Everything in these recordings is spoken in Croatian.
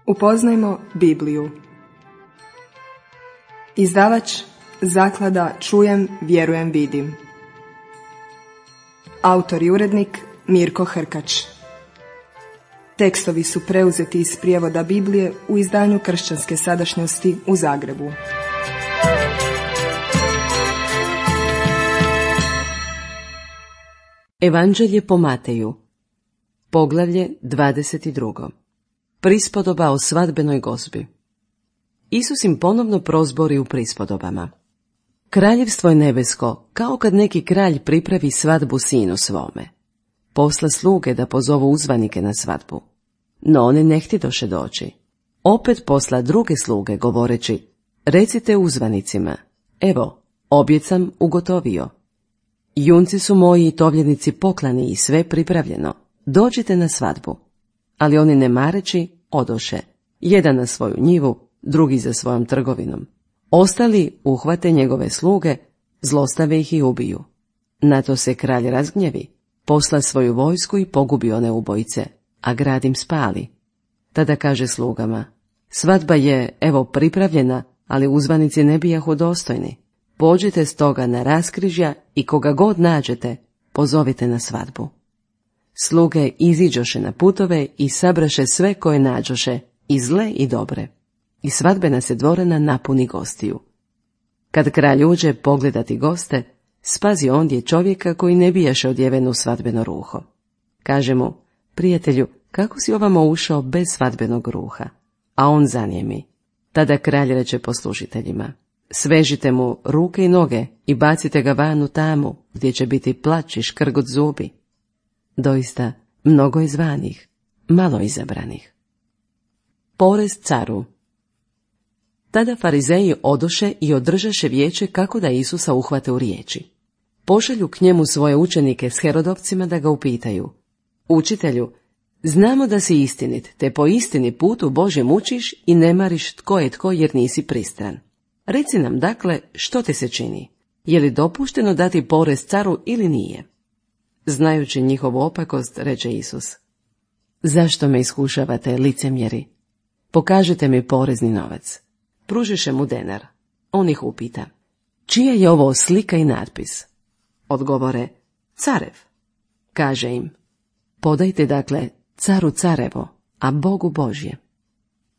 Upoznajmo Bibliju. Izdavač Zaklada Čujem, vjerujem, vidim. Autor i urednik Mirko Hrkač. Tekstovi su preuzeti iz prijevoda Biblije u izdanju Kršćanske sadašnjosti u Zagrebu. Evanđelje po Mateju, poglavlje 22. Prispodoba o svadbenoj gozbi. Isus im ponovno prozbori u prispodobama. Kraljevstvo je nebesko, kao kad neki kralj pripravi svadbu sinu svome. Posla sluge da pozovu uzvanike na svadbu. No oni ne htjedoše doći. Opet posla druge sluge govoreći, recite uzvanicima, evo, objed sam ugotovio. Junci su moji i tovljenici poklani i sve pripravljeno, dođite na svadbu. Ali oni ne mareći, odoše, jedan na svoju njivu, drugi za svojom trgovinom. Ostali uhvate njegove sluge, zlostave ih i ubiju. Na to se kralj razgnjevi, posla svoju vojsku i pogubi one ubojice, a grad im spali. Tada kaže slugama, svadba je, evo, pripravljena, ali uzvanici ne bijahu dostojni. Pođite stoga na raskrižja i koga god nađete, pozovite na svadbu. Sluge iziđoše na putove i sabraše sve koje nađoše, i zle i dobre. I svadbena se dvorana napuni gostiju. Kad kralj uđe pogledati goste, spazi ondje čovjeka koji ne bijaše odjeven u svadbeno ruho. Kaže mu, prijatelju, kako si ovamo ušao bez svadbenog ruha? A on zanijemi. Tada kralj reče poslužiteljima, svežite mu ruke i noge i bacite ga van u tamu, gdje će biti plač i škrgut zubi. Doista, mnogo je zvanih, malo izabranih. Porez caru. Tada farizeji odoše i održaše vijeće kako da Isusa uhvate u riječi. Pošalju k njemu svoje učenike s Herodovcima da ga upitaju, učitelju, znamo da si istinit, te po istini putu Božjem učiš i ne mariš tko je tko jer nisi pristran. Reci nam dakle što te se čini, je li dopušteno dati porez caru ili nije? Znajući njihovu opakost, reče Isus, zašto me iskušavate, licemjeri? Pokažite mi porezni novac. Pružiše mu denar. On ih upita, čija je ovo slika i natpis? Odgovore, carev. Kaže im, podajte dakle caru carevo, a Bogu Božje.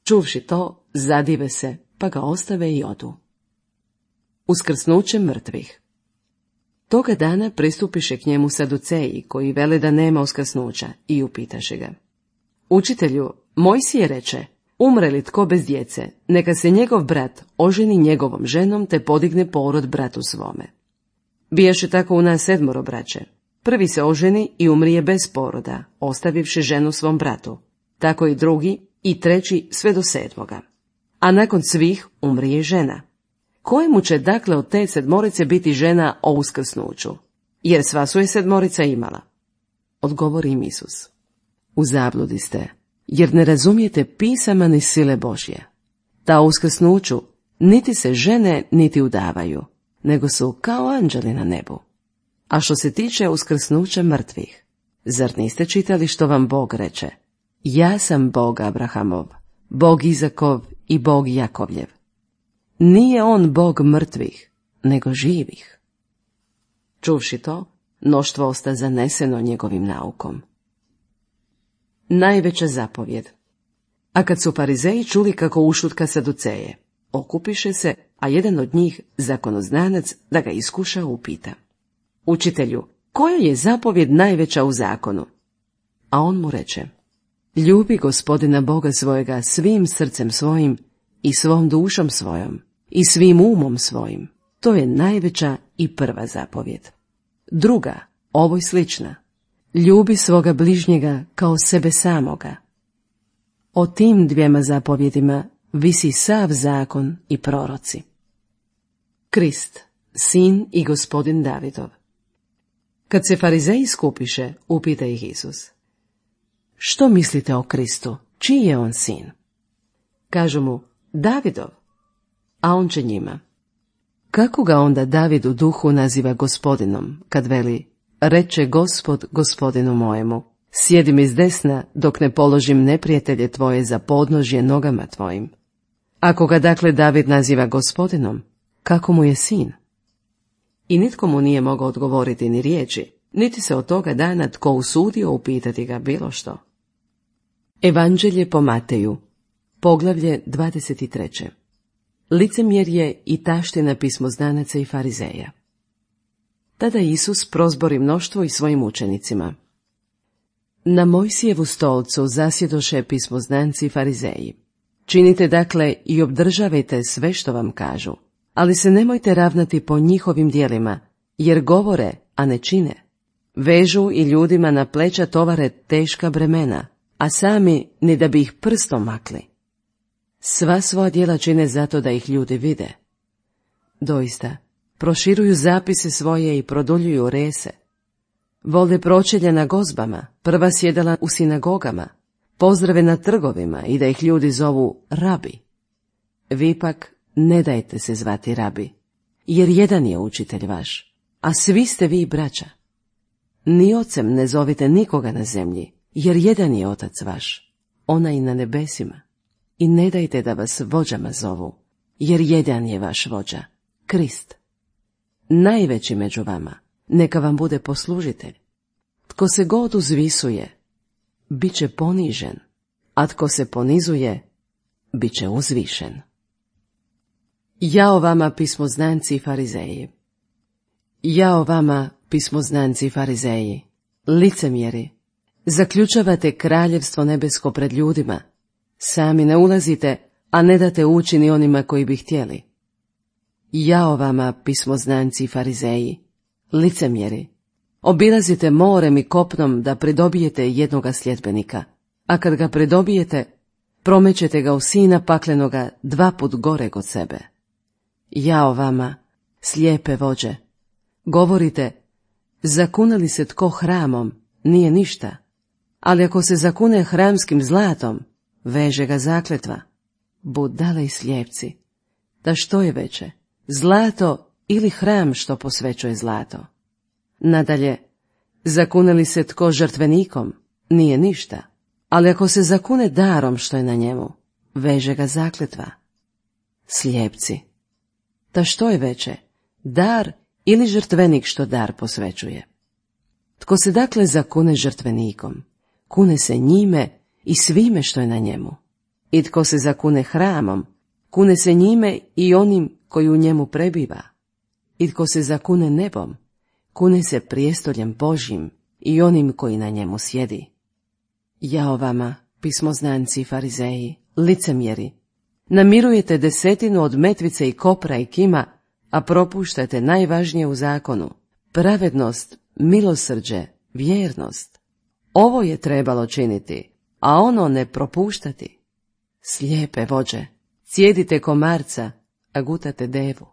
Čuvši to, zadive se, pa ga ostave i odu. Uskrsnuće mrtvih. Toga dana pristupiše k njemu Saduceji, koji vele da nema uskrsnuća, i upitaše ga, učitelju, Mojsije reče, umre li tko bez djece, neka se njegov brat oženi njegovom ženom te podigne porod bratu svome. Bijaše tako u nas 7 braće. Prvi se oženi i umrije bez poroda, ostavivši ženu svom bratu. Tako i drugi i treći sve do 7. A nakon svih umrije žena. Kojemu će dakle od te 7 biti žena o uskrsnuću? Jer sva su je 7 imala. Odgovori im Isus, u zabludi ste, jer ne razumijete pisama ni sile Božje. Ta uskrsnuću niti se žene niti udavaju, nego su kao anđeli na nebu. A što se tiče uskrsnuća mrtvih, zar niste čitali što vam Bog reče? Ja sam Bog Abrahamov, Bog Izakov i Bog Jakovljev. Nije on Bog mrtvih, nego živih. Čuvši to, mnoštvo osta zaneseno njegovim naukom. Najveća zapovjed. A kad su farizeji čuli kako ušutka Saduceje, okupiše se, a jedan od njih, zakonoznanac, da ga iskuša, upita, učitelju, koja je zapovjed najveća u zakonu? A on mu reče, ljubi Gospodina Boga svojega svim srcem svojim i svom dušom svojom i svim umom svojim. To je najveća i prva zapovjed. Druga, ovoj slična, ljubi svoga bližnjega kao sebe samoga. O tim 2 zapovjedima visi sav zakon i proroci. Krist, sin i gospodin Davidov. Kad se farizeji skupiše, upita ih Isus, što mislite o Kristu, čiji je on sin? Kažu mu, Davidov. A on će njima, kako ga onda David u duhu naziva gospodinom, kad veli, reče Gospod gospodinu mojemu, Sjedi mi s desna, dok ne položim neprijatelje tvoje za podnožje nogama tvojim. Ako ga dakle David naziva gospodinom, kako mu je sin? I nitko mu nije mogao odgovoriti ni riječi, niti se od toga dana tko usudio upitati ga bilo što. Evanđelje po Mateju, poglavlje 23. Licemjerje i taština pismoznanaca i farizeja. Tada Isus prozbori mnoštvo i svojim učenicima. Na Mojsijevu stolcu zasjedoše pismoznanci i farizeji. Činite dakle i obdržavajte sve što vam kažu, ali se nemojte ravnati po njihovim djelima, jer govore, a ne čine. Vežu i ljudima na pleća tovare teška bremena, a sami ni da bi ih prstom makli. Sva svoja djela čine zato da ih ljudi vide. Doista, proširuju zapise svoje i produljuju rese. Vole pročelje na gozbama, prva sjedala u sinagogama, pozdrave na trgovima i da ih ljudi zovu rabi. Vi pak ne dajte se zvati rabi, jer jedan je učitelj vaš, a svi ste vi braća. Ni ocem ne zovite nikoga na zemlji, jer jedan je otac vaš, onaj na nebesima. I ne dajte da vas vođama zovu, jer jedan je vaš vođa, Krist. Najveći među vama, neka vam bude poslužitelj. Tko se god uzvisuje, bit će ponižen, a tko se ponizuje, bit će uzvišen. Jao vama, pismoznanci i farizeji! Jao vama, pismoznanci i farizeji, licemjeri! Zaključavate kraljevstvo nebesko pred ljudima, sami ne ulazite, a ne date ući ni onima koji bi htjeli. Jao vama, pismoznanci i farizeji, licemjeri! Obilazite morem i kopnom da pridobijete jednoga sljedbenika, a kad ga pridobijete, promećete ga u sina paklenoga 2 put gore od sebe. Jao vama, slijepe vođe! Govorite, zakune li se tko hramom, nije ništa, ali ako se zakune hramskim zlatom, veže ga zakletva. Budale i slijepci! Da što je veće, zlato ili hram što posvećuje zlato? Nadalje, zakune li se tko žrtvenikom, nije ništa, ali ako se zakune darom što je na njemu, veže ga zakletva. Slijepci! Da što je veće, dar ili žrtvenik što dar posvećuje? Tko se dakle zakune žrtvenikom, kune se njime i svime što je na njemu. I tko se zakune hramom, kune se njime i onim koji u njemu prebiva. I tko se zakune nebom, kune se prijestoljem Božjim i onim koji na njemu sjedi. Jao vama, pismoznanci i farizeji, licemjeri! Namirujete 10% od metvice i kopra i kima, a propuštate najvažnije u zakonu, pravednost, milosrđe, vjernost. Ovo je trebalo činiti, a ono ne propuštati. Slijepe vođe, cijedite komarca, a gutate devu.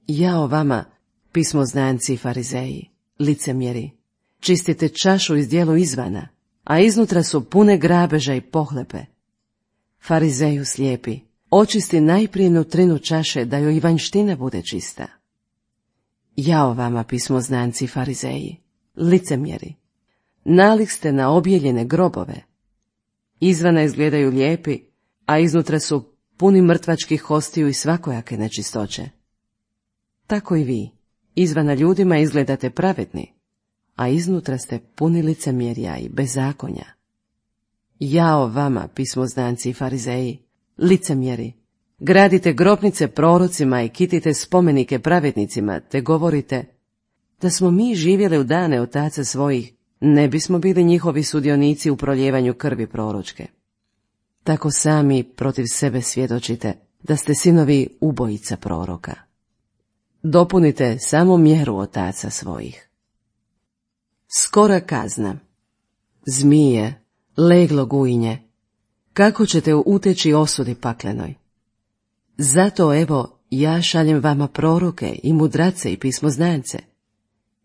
Jao vama, pismoznanci i farizeji, licemjeri! Čistite čašu iz dijelu izvana, a iznutra su pune grabeža i pohlepe. Farizeju slijepi, očisti najprije nutrinu čaše da joj i vanjština bude čista. Jao vama, pismoznanci i farizeji, licemjeri! Nalik ste na objeljene grobove. Izvana izgledaju lijepi, a iznutra su puni mrtvačkih hostiju i svakojake nečistoće. Tako i vi, izvana ljudima izgledate pravedni, a iznutra ste puni licemjerja i bezakonja. Jao vama, pismoznanci i farizeji, licemjeri! Gradite grobnice prorocima i kitite spomenike pravednicima, te govorite, da smo mi živjeli u dane otaca svojih, ne bismo bili njihovi sudionici u proljevanju krvi proročke. Tako sami protiv sebe svjedočite da ste sinovi ubojica proroka. Dopunite samo mjeru otaca svojih. Skora kazna. Zmije, leglo gujinje, kako ćete uteći osudi paklenoj? Zato evo ja šaljem vama proroke i mudrace i pismoznance.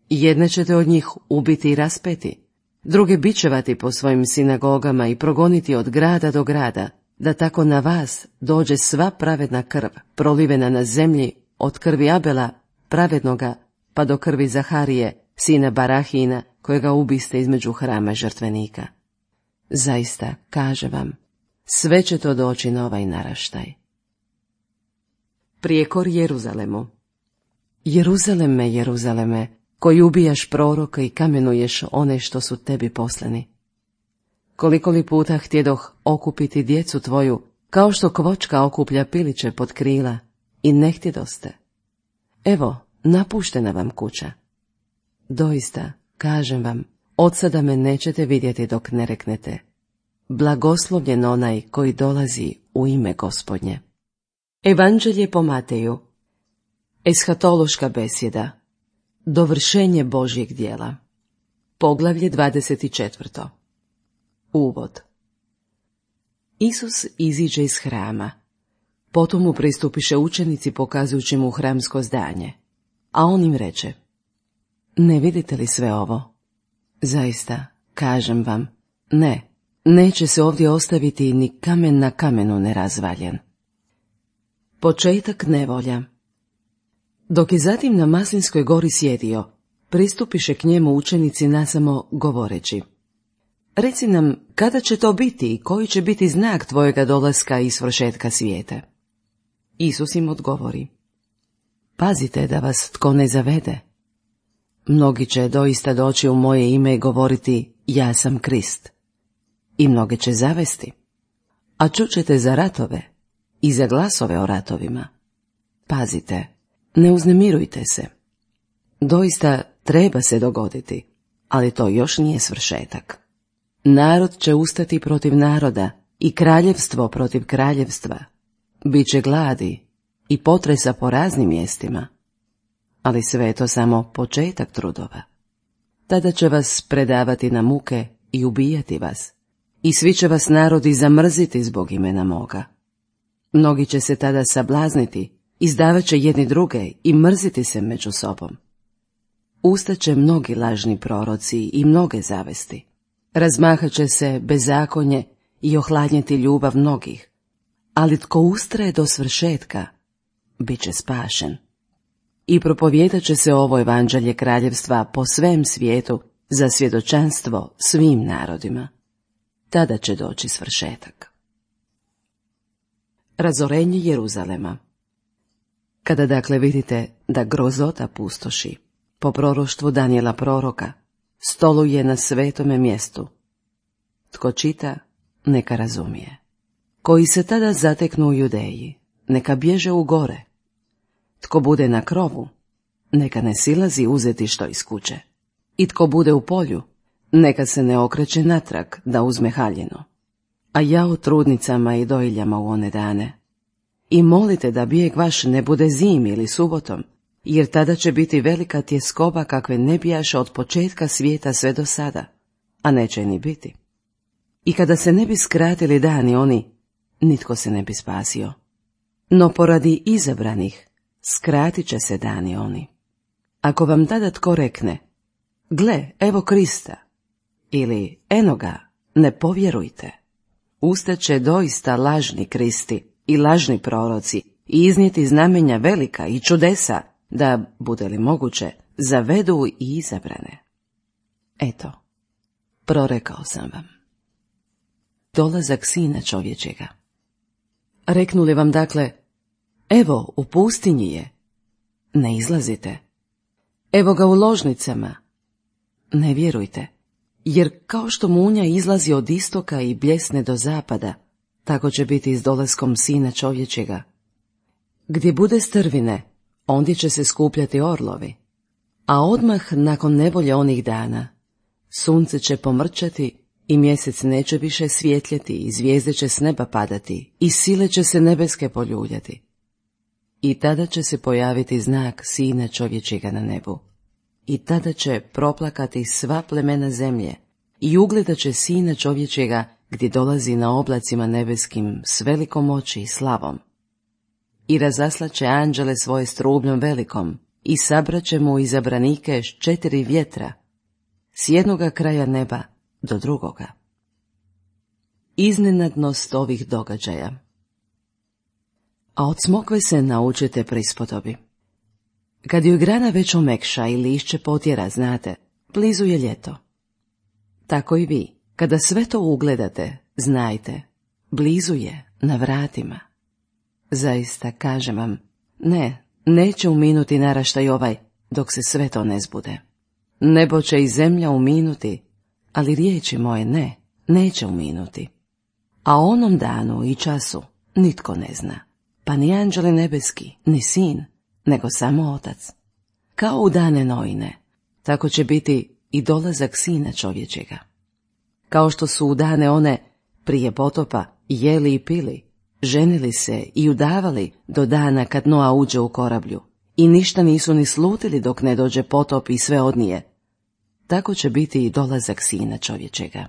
Jedne ćete od njih ubiti i raspeti, druge bičevati po svojim sinagogama i progoniti od grada do grada, da tako na vas dođe sva pravedna krv, prolivena na zemlji, od krvi Abela, pravednoga, pa do krvi Zaharije, sina Barahina, kojega ubiste između hrama i žrtvenika. Zaista, kaže vam, sve će to doći na ovaj naraštaj. Prijekor Jeruzalemu. Jeruzaleme, Jeruzaleme, koji ubijaš proroka i kamenuješ one što su tebi poslani. Koliko li puta htjedoh okupiti djecu tvoju, kao što kvočka okuplja piliće pod krila, i ne htjedoste. Evo, napuštena vam kuća. Doista, kažem vam, od sada me nećete vidjeti dok ne reknete: blagoslovljen onaj koji dolazi u ime Gospodnje. Evanđelje po Mateju. Eshatološka besjeda. Dovršenje Božjeg djela. Poglavlje 24. Uvod. Isus iziđe iz hrama. Potom mu pristupiše učenici pokazujući mu hramsko zdanje. A on im reče: ne vidite li sve ovo? Zaista, kažem vam, neće se ovdje ostaviti ni kamen na kamenu nerazvaljen. Početak nevolja. Dok je zatim na Maslinskoj gori sjedio, pristupiše k njemu učenici nasamo govoreći: reci nam, kada će to biti i koji će biti znak tvojega dolaska i svršetka svijeta? Isus im odgovori: pazite da vas tko ne zavede. Mnogi će doista doći u moje ime i govoriti: ja sam Krist. I mnoge će zavesti. A čućete za ratove i za glasove o ratovima. Pazite, ne uznemirujte se. Doista treba se dogoditi, ali to još nije svršetak. Narod će ustati protiv naroda i kraljevstvo protiv kraljevstva. Biće gladi i potresa po raznim mjestima. Ali sve je to samo početak trudova. Tada će vas predavati na muke i ubijati vas. I svi će vas narodi zamrziti zbog imena moga. Mnogi će se tada sablazniti, izdavat će jedni druge i mrziti se među sobom. Ustaće mnogi lažni proroci i mnoge zavesti. Razmahat će se bezakonje i ohladnjeti ljubav mnogih. Ali tko ustraje do svršetka, bit će spašen. I propovijedat će se ovo evanđelje kraljevstva po svem svijetu za svjedočanstvo svim narodima. Tada će doći svršetak. Razorenje Jeruzalema. Kada dakle vidite da grozota pustoši, po proroštvu Danijela proroka, stoluje na svetome mjestu. Tko čita, neka razumije. Koji se tada zateknu u Judeji, neka bježe u gore. Tko bude na krovu, neka ne silazi uzeti što iz kuće. I tko bude u polju, neka se ne okreće natrag da uzme haljinu. A jao trudnicama i dojiljama u one dane. I molite da bijeg vaš ne bude zimi ili subotom, jer tada će biti velika tjeskoba kakve ne bijaše od početka svijeta sve do sada, a neće ni biti. I kada se ne bi skratili dani oni, nitko se ne bi spasio. No poradi izabranih, skratit će se dani oni. Ako vam tada tko rekne: gle, evo Krista, ili eno ga, ne povjerujte. Ustaće doista lažni Kristi i lažni proroci i iznijeti znamenja velika i čudesa, da, bude li moguće, zavedu i izabrane. Eto, prorekao sam vam. Dolazak Sina čovječega. Reknuli vam dakle: evo, u pustinji je, ne izlazite. Evo ga u ložnicama, ne vjerujte. Jer kao što munja izlazi od istoka i bljesne do zapada, tako će biti i s dolaskom Sina čovječega. Gdje bude strvine, ondje će se skupljati orlovi. A odmah nakon nevolje onih dana, sunce će pomrčati i mjesec neće više svjetljeti i zvijezde će s neba padati i sile će se nebeske poljuljati. I tada će se pojaviti znak Sina čovječega na nebu. I tada će proplakati sva plemena zemlje i ugledat će Sina čovječega gdje dolazi na oblacima nebeskim s velikom moći i slavom. I razaslaće anđele svoje s trubljom velikom i sabraće mu izabranike s 4 vjetra, s jednoga kraja neba do drugoga. Iznenadnost ovih događaja. A od smokve se naučite prispodobi. Kad ju grana već omekša i lišće potjera, znate, Blizu je ljeto. Tako i vi, kada sve to ugledate, znajte, blizu je, na vratima. Zaista, kažem vam, neće uminuti naraštaj ovaj, dok se sve to ne zbude. Nebo će i zemlja uminuti, ali riječi moje neće uminuti. A onom danu i času nitko ne zna, pa ni anđeli nebeski, ni sin, nego samo Otac. Kao u dane Noine, tako će biti i dolazak Sina čovječega. Kao što su u dane one prije potopa jeli i pili, ženili se i udavali do dana kad Noa uđe u korablju, i ništa nisu ni slutili dok ne dođe potop i sve odnije, tako će biti i dolazak Sina čovječega.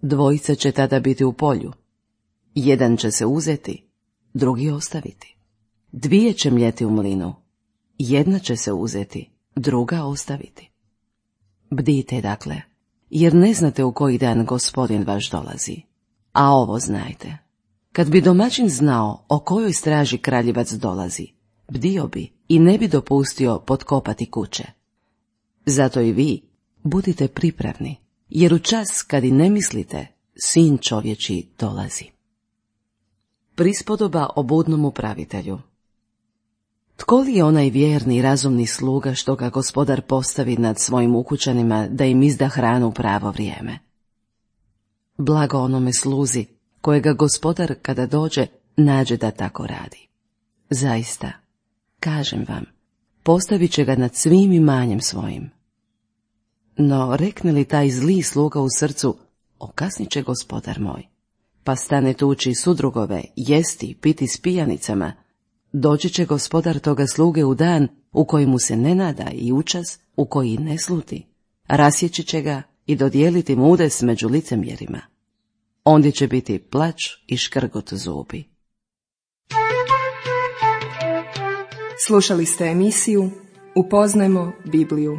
Dvojica će tada biti u polju. Jedan će se uzeti, drugi ostaviti. Dvije će mljeti u mlinu. Jedna će se uzeti, druga ostaviti. Bdite dakle, jer ne znate u koji dan Gospodin vaš dolazi. A ovo znajte, kad bi domaćin znao o kojoj straži kraljevac dolazi, bdio bi i ne bi dopustio potkopati kuće. Zato i vi budite pripravni, jer u čas kad i ne mislite, Sin čovječji dolazi. Prispodoba o budnom upravitelju. Tko li je onaj vjerni i razumni sluga što ga Gospodar postavi nad svojim ukućanima da im izda hranu u pravo vrijeme? Blago onome sluzi kojega Gospodar kada dođe nađe da tako radi. Zaista, kažem vam, postavit će ga nad svim imanjem svojim. No rekne li taj zli sluga u srcu, okasnit će Gospodar moj, pa stane tući sudrugove, jesti, piti s pijanicama, doći će Gospodar toga sluge u dan u koji mu se ne nada i u čas u koji ne sluti, rasjeći će ga i dodijeliti mu udes među licemjerima. Ondje će biti plač i škrgot zubi. Slušali ste emisiju Upoznajmo Bibliju.